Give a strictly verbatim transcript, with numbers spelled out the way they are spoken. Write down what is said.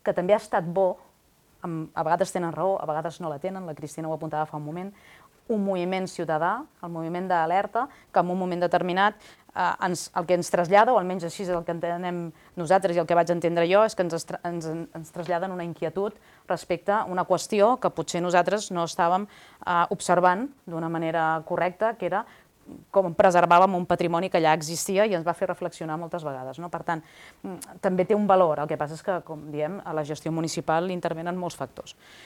que també ha estat bo, a vegades tenen raó, a vegades no la tenen, la Cristina ho apuntava fa un moment, un moviment ciutadà, el moviment d'alerta, que en un moment determinat eh, ens, el que ens trasllada, o almenys així és el que entenem nosaltres i el que vaig entendre jo, és que ens, ens, ens traslladen una inquietud respecte a una qüestió que potser nosaltres no estàvem eh, observant d'una manera correcta, que era com preservàvem un patrimoni que ja existia i ens va fer reflexionar moltes vegades. No? Per tant, també té un valor, el que passa és que, com diem, a la gestió municipal intervenen molts factors.